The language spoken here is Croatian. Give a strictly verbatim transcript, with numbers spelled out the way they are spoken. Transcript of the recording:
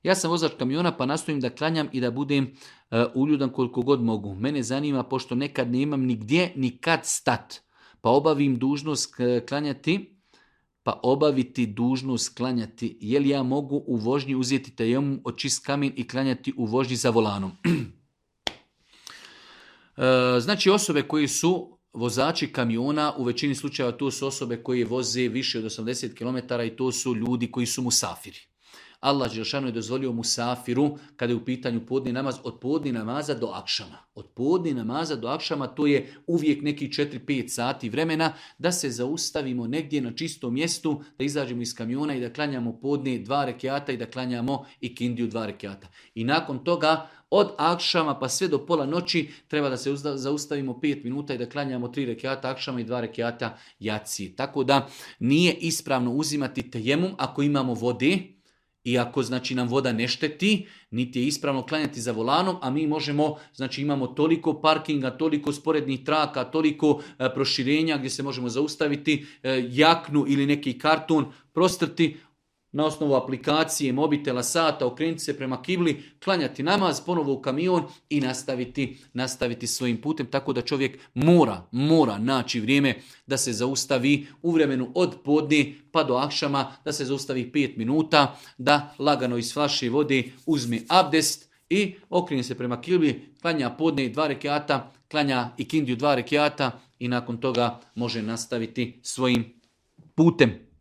Ja sam vozač kamiona pa nastojim da klanjam i da budem uh, uljudan koliko god mogu. Mene zanima, pošto nekad nemam nigdje ni kad stat, pa obavim dužnost klanjati, pa obaviti dužnost klanjati. Je li ja mogu u vožnji uzeti tejemum, očist kamen i klanjati u vožnji za volanom? uh, znači osobe koji su vozači kamiona, u većini slučajeva to su osobe koje voze više od osamdeset kilometara i to su ljudi koji su musafiri. Allah dželešanu je dozvolio musafiru, kada je u pitanju podni namaz, od podni namaza do akšama. Od podni namaza do akšama to je uvijek neki četiri pet sati vremena da se zaustavimo negdje na čistom mjestu, da izađemo iz kamiona i da klanjamo podni dva rekiata i da klanjamo ikindiju dva rekiata. I nakon toga od akšama pa sve do pola noći treba da se zaustavimo pet minuta i da klanjamo tri rekiata akšama i dva rekiata jacije. Tako da nije ispravno uzimati tejemum ako imamo vode, i ako znači nam voda ne šteti, niti je ispravno klanjati za volanom, a mi možemo, znači imamo toliko parkinga, toliko sporednih traka, toliko e, proširenja gdje se možemo zaustaviti, e, jaknu ili neki karton, prostrti na osnovu aplikacije, mobitela, sata, okrenuti se prema kibli, klanjati namaz, ponovo u kamion i nastaviti, nastaviti svojim putem. Tako da čovjek mora, mora naći vrijeme da se zaustavi u vremenu od podne pa do akšama, da se zaustavi pet minuta, da lagano iz flaše vode uzme abdest i okrene se prema kibli, klanja podne dva rekiata, klanja ikindiju dva rekiata i nakon toga može nastaviti svojim putem.